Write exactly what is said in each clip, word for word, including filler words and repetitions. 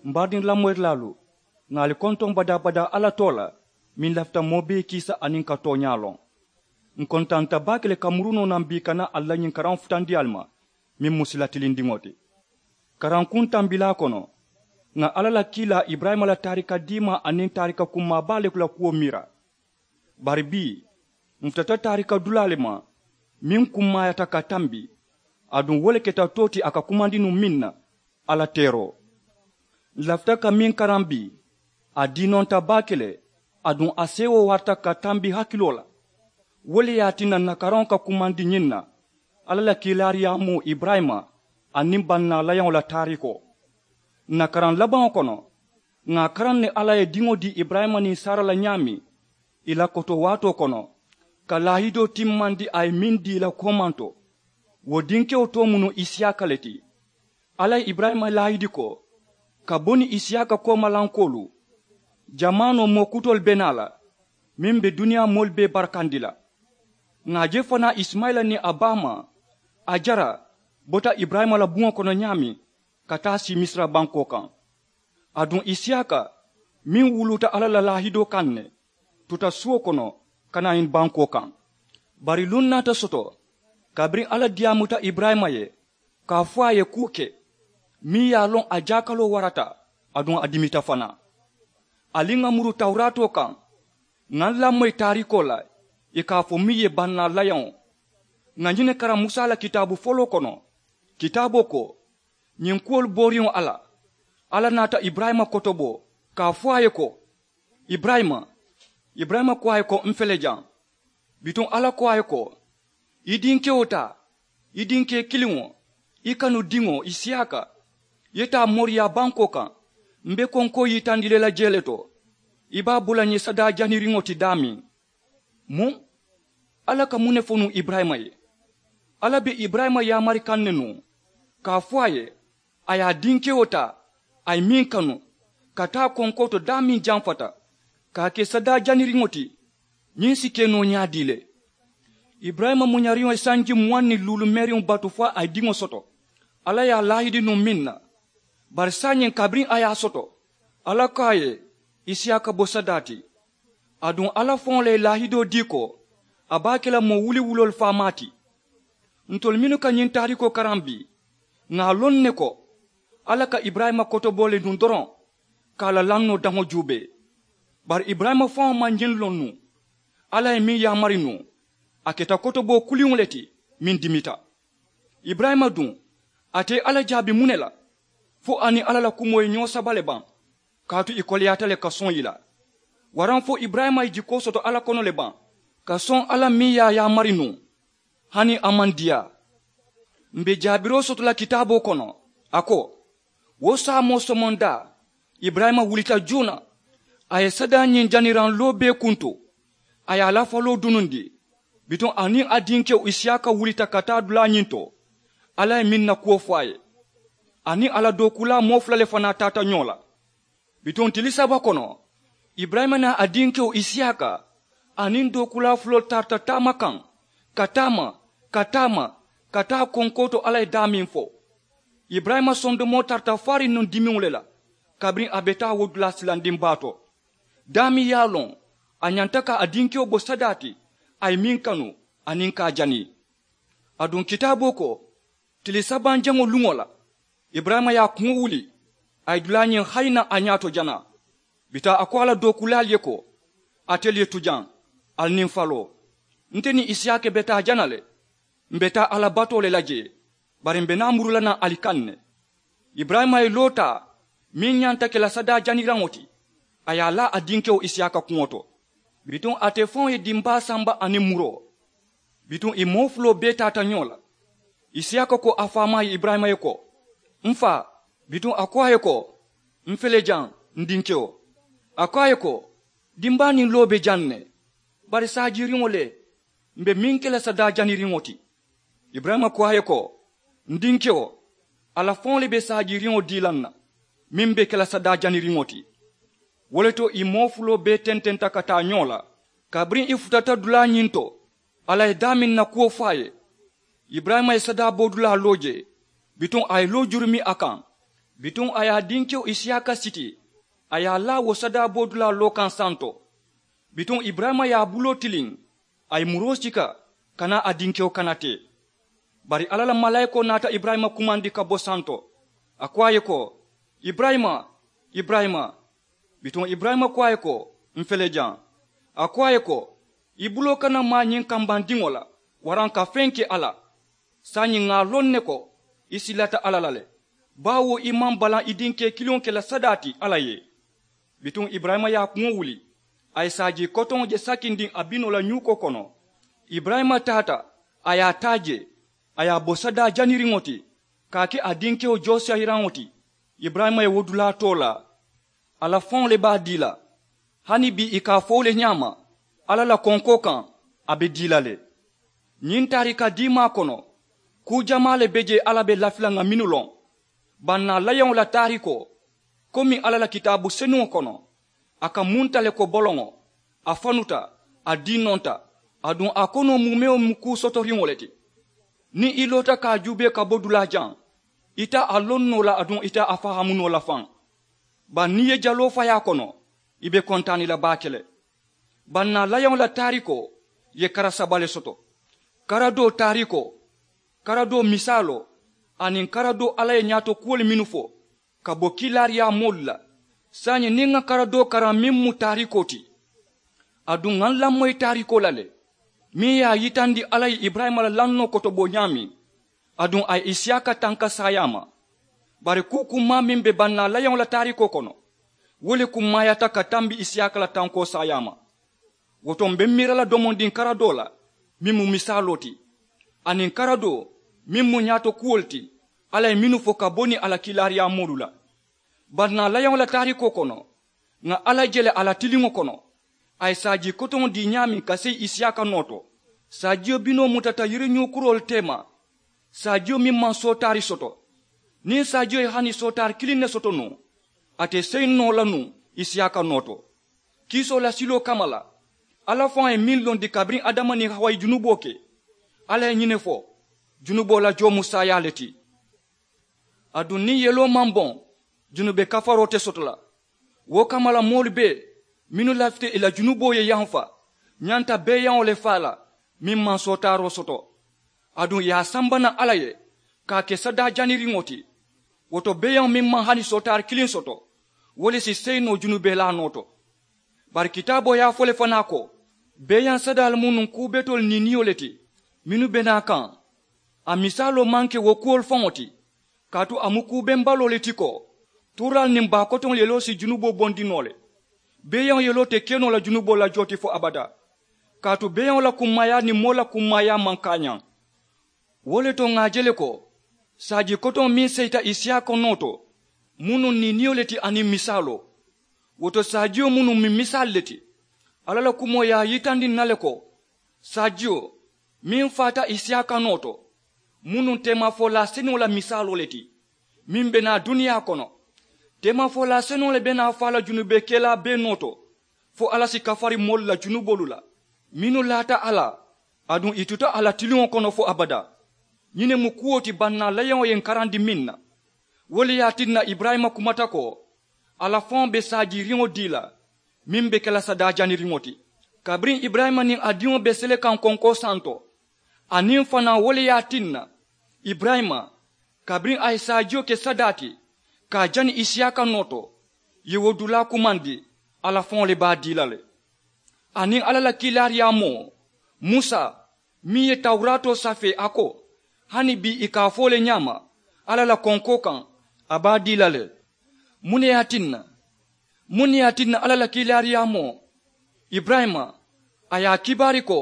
M baadiŋ lamoyirilaalu, ŋà ali kontoŋ badaa-badaa alla too la, meŋ lafita moo bee kiisa aniŋ ka tooñaa loŋ. Ǹ kontaanta baake le ka muru noo naŋ bii ka naa ali la ñiŋ karaŋo futandi ali ma, meŋ mu sila tilindiŋo ti. Karankuŋ tambilaa kono, ŋà alla la kiilaa iburayima la taarika diimaa aniŋ taarika kummaa baa le la kuwo miira. Bari bii, ǹ futata taarika dulaa le ma, meŋ kummaayata ka tambi, aduŋ wo le keta too ti a ka kumandi nuŋ meŋ na, alla teeroo. Ǹ lafita ka meŋ karaŋ bii, a diinonta baake le, aduŋ a seewoo warata ka tambi hakiloo la. Wo le ye a tinna ǹ na karaŋo ka kumandi ñiŋ na, alla la kiilaariyaamoo iburayima aniŋ bannaa layaŋo la taariikoo. Ǹ na karaŋ labaŋo kono, ŋà a karaŋ ne alla ye diŋo dii iburayima niŋ saara la ñaameŋ, ì la koto waatoo kono, ka laahidoo timmandi a ye meŋ dii ì la koomanto, wo dinkewo too mu nuŋ isiyaaka le ti. Alla ye iburayima laahidi ko, ka bo niŋ isiyaaka koomalankoolu, jamaanoo moo kutoolu be naa la, meŋ be duniyaa moolu bee barakandi la. Ŋà a je fanaa isimayila niŋ a baamaa, ajara, bota iburayima la buŋo kono ñaameŋ, ka taa sii misira bankoo kaŋ. Aduŋ isiyaaka, meŋ wuluuta alla la laahidoo kaŋ ne, tuta suo kono, ka naa ñiŋ bankoo kaŋ. Bari luŋ naata soto, kabiriŋ alla diyaamuta iburayima ye, ka a fo a ye kuu ke, meŋ ye a loŋ a jaakaloo warata, aduŋ a dimita fanaa. Ali ŋà muru tawuraatoo kaŋ, ŋà ǹ lamoyi taariikoo la, ì ka a fo meŋ ye bannaa layaŋo. Ŋà ñiŋ ne karaŋ musa la kitaabu foloo kono, kitaaboo ko, ñiŋ kuwolu booriŋo alla, alla naata iburayima kotobo, ka a fo a ye ko, iburayima. Iburayima ko a ye ko, m fele jaŋ. Bituŋ alla ko a ye ko, i dinkewo taa, i dinkee kiliŋo, i kanu diŋo isiyaaka, i ye taa moriyaa bankoo kaŋ, m be konkoo yitandi le la jee le to. I be a bo la ñiŋ sadaa janiriŋo ti daameŋ. Muŋ? Alla ka muŋ ne fo nuŋ iburayima ye? Alla be iburayima yaamari kaŋ ne nuŋ, ka a fo a ye, a ye a dinkewo taa, a ye meŋ kanu, ka taa konkoo to daameŋ jamfata, ka a ke sadaa janiriŋo ti. Ñiŋ si ke noo ñaadii le? Iburayima muñariŋo ye sanji muwaŋ niŋ luulu meeriŋo batu fo a ye diŋo soto. Alla ye a laahidi nuŋ meŋ na, bari saayiŋ kabiriŋ a ye a soto, alla ko a ye, isiyaaka bo sadaa ti. Aduŋ alla faŋo le ye laahidoo dii ko, a be a ke la moo wuliwuloolu faamaa ti. Ntolu mennu ka ñiŋ taariikoo karaŋ bii, ŋà a loŋ ne ko, alla ka iburayima kotobo le nuŋ doroŋ, ka a la lannoo daŋo juubee. Bari iburayima faŋo maŋ ñiŋ loŋ nuŋ. Alla ye meŋ yaamari nuŋ, a keta kotoboo kuliŋo le ti, meŋ dimita. Iburayima duŋ, ate ye alla jaabi muŋ ne la? Fo a niŋ alla la kumoo ye ñoo saba le baŋ? Kaatu ì koleyaata le ka soŋ ì la. Waraŋ fo iburayima ye jikoo soto alla kono le baŋ, ka soŋ alla meŋ ye a yaamari nuŋ? Hani a maŋ diyaa. M be jaabiroo soto la kitaaboo kono, a ko, wo saamoo somondaa, iburayima wulita joona, a ye sadaa ñiŋ janiraŋ loobee kuntu, a ye a la faloo dunundi. Bituŋ a niŋ a dinkewo isiyaaka wulita ka taa dulaa ñiŋ to, alla ye meŋ na kuwo fo a ye. A niŋ a la dookuulaa moo fula le fanaa taata ñoo la. Bituŋ tili saba kono, iburayima niŋ a dinkewo isiyaaka aniŋ dookuulaa fuloolu tarata taama kaŋ, ka taama, ka taama, ka taa konkoo to alla ye daameŋ fo. Iburayima sondomoo tarata faariŋ nuŋ dimiŋo le la, kabiriŋ a be taa wo dulaa silandiŋ baa to. Daameŋ ye a loŋ, a ñanta ka a dinkewo bo sadaa ti, a ye meŋ kanu, aniŋ ka a jani. Aduŋ kitaaboo ko, tili sabanjaŋo luŋo la, iburayima ye a kuŋo wuli, a ye dulaa ñiŋ hayi naŋ a ñaato jana. Bituŋ a ko a la dookuulaalu ye ko, atelu ye tu jaŋ, ali niŋ faloo. Nte niŋ isiyaaka be taa jana le. M be taa alla batoo le la jee, bari m be naa muru la naŋ ali kaŋ ne. Iburayima ye loo taa, meŋ ñanta ke la sadaa janiraŋo ti, a ye a laa a dinkewo isiyaaka kuŋo to. Bituŋ ate faŋo ye dimbaa samba aniŋ muroo. Bituŋ ì moo fuloo bee taata ñoo la. Isiyaaka ko a faamaa ye iburayima ye ko, m faa. Bituŋ a ko a ye ko, m fele jaŋ, n dinkewo. A ko a ye ko, dimbaa niŋ loo be jaŋ ne, bari saajiiriŋo le, m be meŋ ke la sadaa janiriŋo ti. Iburayima ko a ye ko, n dinkewo, alla faŋo le be saajiiriŋo dii la n na, meŋ be ke la sadaa janiriŋo ti. Wo le to ì moo fuloo bee tententa ka taa ñoo la, kabiriŋ ì futata dulaa ñiŋ to, alla ye daameŋ na kuwo fo a ye. Iburayima ye sadaa boodulaa loo jee, bituŋ a ye loo jurumi a kaŋ. Bituŋ a ye a dinkewo isiyaaka siti, a ye a laa wo sadaa boodulaa loo kaŋ santo. Bituŋ iburayima ye a buloo tiliŋ, a ye muroo sika, kana a dinkewo kana tee. Bari alla la malaayikoo naata iburayima kumandi ka bo santo. A ko a ye ko, iburayima, iburayima. Bituŋ iburayima ko a ye ko, m̀ fele jaŋ. A ko a ye ko, i buloo kana maa ñiŋ kambandiŋo la, waraŋ ka feŋ ke a la. Saayiŋ ŋà a loŋ ne ko, i silata alla la le, baawo i maŋ balaŋ i dinkee kiliŋo ke la sadaa ti alla ye. Bituŋ iburayima ye a kuŋo wuli, a ye saajii kotoŋo je sakindiŋ a binoo la ñuukoo kono. Iburayima taata, a ye a taa jee, a ye a bo sadaa janiriŋo ti, ka a ke a dinkewo joosiyayiraŋo ti. Iburayima ye wo dulaa too laa. Alla faŋo le be a dii la. Hani bii i ka a fo wo le ñaama, alla la konkoo kaŋ, a be dii la le. Ñiŋ taarika diimaa kono, kuu jamaa le be jee alla be lafi la ŋà mennu loŋ. Bannaa layaŋo la taarikoo, komi alla la kitaabu senuŋo kono, a ka munta le ko boloŋo, a fanuta, a diinonta, aduŋ a konoo mu mewo mu kuu sotoriŋo le ti. Niŋ i loota ka a juubee ka bo dulaa jaŋ, i te a loŋ noo la aduŋ i te a fahaamu noo la faŋ. Bari niŋ i ye jaloo fayi a kono, i be kontaani la baake le. Bannaa layaŋo la taarikoo ye kara saba le soto. Kara doo taarikoo, kara doo misaaloo, aniŋ kara doo alla ye ñaato kuwolu mennu fo, ka bo kiilaariyaa moolu la. Saayiŋ niŋ ŋa kara doo karaŋ meŋ mu taarikoo ti, aduŋ ŋa n lamoyi taarikoo la le, meŋ ye a yitandi alla ye iburayima la lannoo kotoboo ñaameŋ, aduŋ a ye isiyaaka tanka saayaa ma. Bari kuu kummaa meŋ be bannaa layaŋo la taarikoo kono, wo le kummaayaata ka tambi isiyaaka la tankoo saayaa ma. Wo to m̀ be miira la domondiŋ kara doo la, meŋ mu misaaloo ti, aniŋ kara doo, meŋ mu ñaato kuwolu ti, alla ye mennu fo ka bo niŋ a la kiilaariyaa moolu la. Bannaa layaŋo la taarikoo kono, ŋà alla je le a la tiliŋo kono, a ye saajii kotoŋo dii ñaameŋ ka seyi isiyaaka noo to. Saajiyo binoo mutata yiriñuukuroolu teema, saajiyo meŋ maŋ sootaari soto. Niŋ saajiyo ye hani sootaari kiliŋ ne soto nuŋ, a te seyi noo la nuŋ isiyaaka noo to. Kiisoo la siloo kamma la, alla faŋo ye meŋ londi kabiriŋ adama niŋ hawa ye junuboo ke, alla ye ñiŋ ne fo, junuboo la joo mu saayaa le ti. Aduŋ niŋ yeloo maŋ boŋ, junube kafaroo te soto la. Wo kamma la moolu bee mennu lafita ì la junuboo ye yamfa, ñanta beeyaŋo le faa la meŋ maŋ sootaaroo soto. Aduŋ ì ye a samba naŋ alla ye, ka a ke sadaa janiriŋo ti. Wo to beeyaŋo meŋ maŋ hani sootaari kiliŋ soto, wo le si seyi noo junubelaa noo to. Bari kitaaboo ye a fo le fanaa ko, beeyaŋ sadaalu mu nuŋ kuu betoolu niiniyo le ti, mennu be naa kaŋ. A misaaloo maŋ ke wo kuwolu faŋo ti, kaatu a mu kuu bembaloo le ti ko, tuuraalu niŋ baa kotoŋolu yeloo si junuboo bondi noo le. Beeyaŋo yeloo te ke noo la junuboo la joo ti fo abadaa, kaatu beeyaŋo la kummaayaa niŋ moo la kummaayaa maŋ kaañaŋ. Wo le to ŋà a je le ko, saajii kotoŋo meŋ seyita isiyaaka noo to, mu nuŋ niiniyo le ti aniŋ misaaloo. Wo to saajiyo mu nuŋ miŋ misaalu le ti. Alla la kumoo ye a yitandi ǹ na le ko, saajiyo meŋ faata isiyaaka noo to, mu nuŋ teemafolaa senuŋo la misaaloo le ti, meŋ be naa duniyaa kono. Teemafolaa senuŋo le be naa faa la junubee kelaa bee noo to, fo alla si kafari moolu la junuboolu la, mennu laata a la, aduŋ ì tuta a la tiliŋo kono fo abadaa. Ñiŋ ne mu kuwo ti bannaa layaŋo ye ǹ karandi meŋ na. Wo le ye a tinna iburayima kumata ko, alla faŋo be saajiiriŋo dii la, meŋ be ke la sadaa janiriŋo ti. Kabiriŋ iburayima niŋ a diŋo be sele kaŋ konkoo santo, aniŋ fanaa wo le ye a tinna, iburayima, kabiriŋ a ye saajiyo ke sadaa ti, ka a jani isiyaaka noo to, ì ye wo dulaa kumandi, alla faŋo le be a dii la le. Aniŋ alla la kiilaariyaa moo, musa, meŋ ye tawuraatoo safee a ko, hani bii ì ka a fo wo le ñaama, alla la konkoo kaŋ, a be a dii la le. Muŋ ne ye a tinna? Muŋ ne ye a tinna alla la kiilaariyaa moo, iburayima, a ye a kibaari ko,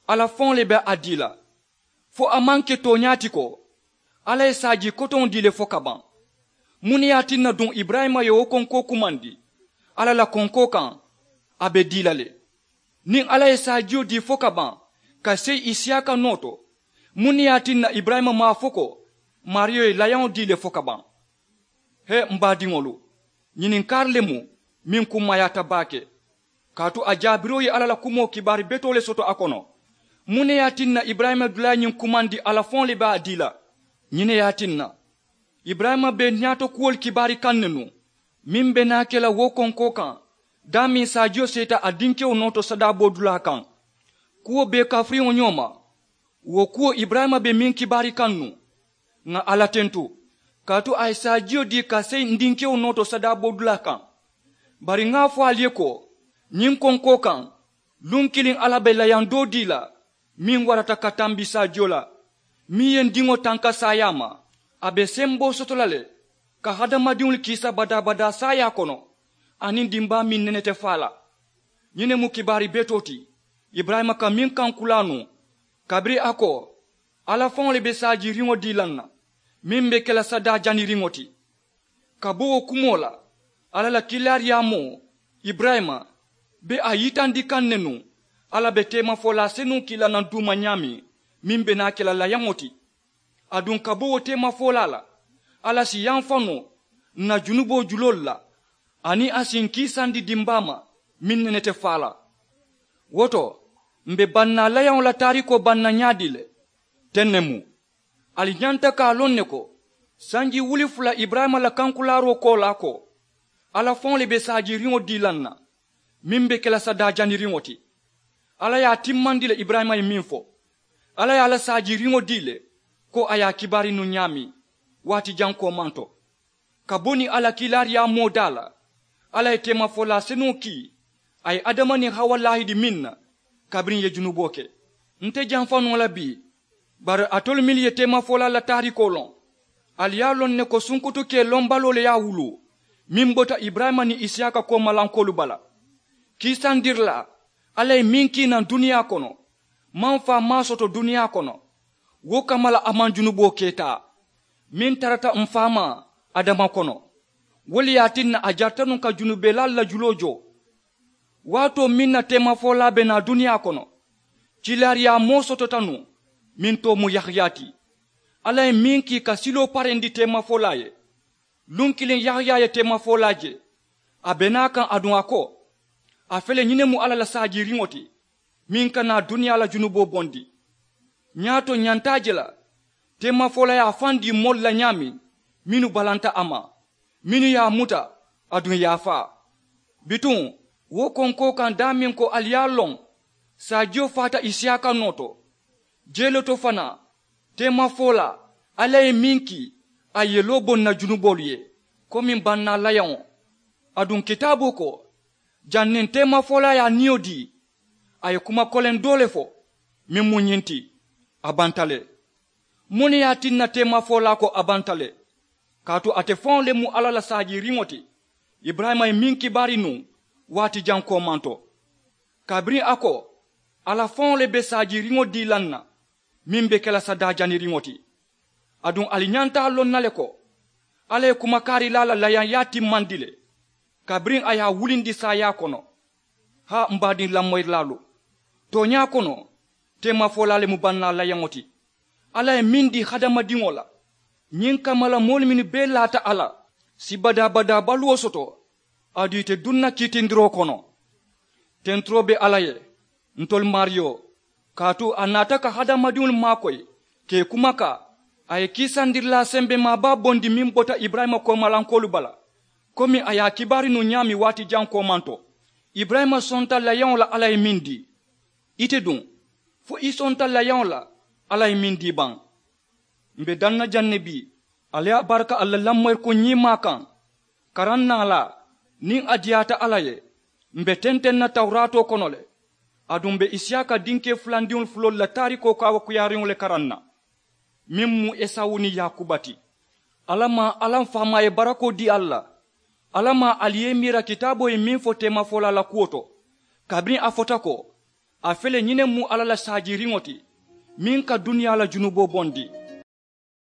alla faŋo le be a dii la? Fo a maŋ ke tooñaa ti ko, alla ye saajii kotoŋo dii le fo ka baŋ? Muŋ ne ye a tinna duŋ iburayima ye wo konkoo kumandi, alla la konkoo kaŋ, a be dii la le? Niŋ alla ye saajiyo dii fo ka baŋ, ka seyi isiyaaka noo to, muŋ ne ye a tinna iburayima maŋ a fo ko, maariyo ye layaŋo dii le fo ka baŋ? He, m baadiŋolu, ñininkaari le mu meŋ kummaayaata baake. Kaatu a jaabiroo ye alla la kumoo kibaari betoo le soto a kono. Muŋ ne ye a tinna iburayima dulaa ye ñiŋ kumandi, alla faŋo le be a dii la? Ñiŋ ne ye a tinna, Iburayima be ñaato kuwolu kibaari kaŋ ne nuŋ, meŋ be naa ke la wo konkoo kaŋ daameŋ saajiyo seeta a dinkewo noo to sadaaboo dulaa kaŋ. Kuwo bee kafiriŋo ñoo ma. Wo kuwo iburayima be meŋ kibaari kaŋ nuŋ, ŋà alla tentu, kaatu a ye saajiyo dii ka seyi n dinkewo noo to sadaaboo dulaa kaŋ. Bari ŋà a fo ali ye ko, ñiŋ konkoo kaŋ, luŋ kiliŋ alla be layaŋ doo dii la, meŋ warata ka tambi saajiyo la, meŋ ye n diŋo tanka saayaa ma. A be semboo soto la le ka hadamadiŋolu kiisa badaa-badaa saayaa kono, aniŋ dimbaa meŋ nene te faa la. Ñiŋ ne mu kibaari betoo ti iburayima ka meŋ kaŋ kulaa nuŋ, kabiriŋ a ko, alla faŋo le be saajiiriŋo dii la n na, meŋ be ke la sadaa janiriŋo ti. Ka bo wo kumoo la, alla la kiilaariyaamoo iburayima be a yitandi kaŋ ne nuŋ, alla be teemafolaa senuŋ kii la naŋ duuma ñaameŋ, meŋ be naa ke la layaŋo ti. Aduŋ ka bo wo teemafolaa la, alla si yamfa noo n na junuboo juloolu la, aniŋ a si n kiisandi dimbaa ma meŋ nene te faa la. Wo to, m̀ be bannaa layaŋo la taariikoo banna ñaadii le? Teŋ ne mu. Ali ñanta ka a loŋ ne ko, sanji wuli fula iburayima la kankulaaroo koolaa ko, alla faŋo le be saajiiriŋo dii la n na, meŋ be ke la sadaa janiriŋo ti. Alla ye a timmandi le iburayima ye meŋ fo, alla ye a la saajiiriŋo dii le, ko a ye a kibaari nuŋ ñaameŋ waati jaŋ koomanto. Ka bo niŋ alla kiilaariyaamoo daa la, alla ye teemafolaa senuŋo kii a ye adama niŋ hawa laahidi meŋ na, kabiriŋ ì ye junuboo ke. Nte jamfa noo la bii, bari alitolu mennu ye teemafolaa la taariikoo loŋ, ali ye a loŋ ne ko sunkutukee lombaloo le ye a wuluu, meŋ bota iburayima niŋ isiyaaka koomalankoolu bala. Kiisandirilaa alla ye meŋ kii naŋ duniyaa kono, maŋ faa maŋ a soto duniyaa kono, wo kamma la a maŋ junuboo keetaa meŋ tarata m̀ faamaa adama kono. Wo le ye a tinna a jarita nuŋ ka junubelaalu la juloo joo. Waatoo meŋ na teemafolaa be naa duniyaa kono, kiilaariyaamoo sotota nuŋ, meŋ too mu yahaya ti. Alla ye meŋ kii ka siloo parendi teemafolaa ye, luŋ kiliŋ yahaya ye teemafolaa je. A be naa kaŋ aduŋ a ko, a fele ñiŋ ne mu alla la saajiiriŋo ti, meŋ ka naa duniyaa la junuboo bondi. Ñaato ñanta a je la, teemafolaa ye a faŋ dii moolu la ñaameŋ, mennu balanta a ma, mennu ye a muta, aduŋ ì ye a faa. Bituŋ, wo konkoo kaŋ daameŋ ko ali ye a loŋ, saajiyo faata isiyaaka noo to. Jee le to fanaa, teemafolaa alla ye meŋ kii, a ye yeloo bo n na junuboolu ye, komi bannaa layaŋo. Aduŋ kitaaboo ko, janniŋ teemafolaa ye a niyo dii, a ye kuma koleŋ doo le fo, meŋ mu ñiŋ ti, a banta le. Muŋ ne ye a tinna teemafolaa ko a banta le? Kaatu ate faŋo le mu alla la saajiiriŋo ti. Iburayima ye meŋ kibaari nuŋ, waati jaŋ koomanto, kabiriŋ a ko, alla faŋo le be saajiiriŋo dii la n na, meŋ be ke la sadaa janiriŋo ti. Aduŋ ali ñanta a loŋ na le ko, alla ye kumakaarilaa la layaŋyaa timmandi le, kabiriŋ a ye a wulindi saayaa kono. Haa m baadiŋ lamoyirilaalu, tooñaa kono, teemafolaa le mu bannaa layaŋo ti. Alla ye meŋ dii hadamadiŋo la, ñiŋ kamma la moolu mennu bee laata a la, si badaa-badaa baluwo soto, aduŋ ì te duŋ na kiitindiroo kono. Tenturoo be alla ye, ntolu maariyo, kaatu a naata ka hadamadiŋolu maakoyi, ka ì kumakaa. A ye kiisandirilaa sembemaa baa bondi meŋ bota iburayima koomalankoolu bala, komi a ye a kibaari nuŋ ñaameŋ waati jaŋ koomanto. Iburayima sonta layaŋo la alla ye meŋ dii. Ite duŋ, fo i sonta layaŋo la alla ye meŋ dii baŋ? M̀ be daŋ na jaŋ ne bii, alla ye a baraka ali la lamoyirikuŋ ñiimaa kaŋ. Karaŋ naalaa, niŋ a diyaata alla ye, m̀ be tenteŋ na tawuraatoo kono le. Aduŋ m̀ be isiyaaka dinkee fulandiŋolu fuloolu la taarikoo kaawakuyaariŋo le karaŋ na, meŋ mu esawu niŋ yaakuba ti. Alla maŋ alla m faamaa ye barakoo dii ali la? Alla maŋ ali ye i miira kitaaboo ye meŋ fo teemafolaa la kuwo to, kabiriŋ a fota ko, a fele ñiŋ ne mu alla la saajiiriŋo ti, meŋ ka duniyaa la junuboo bondi.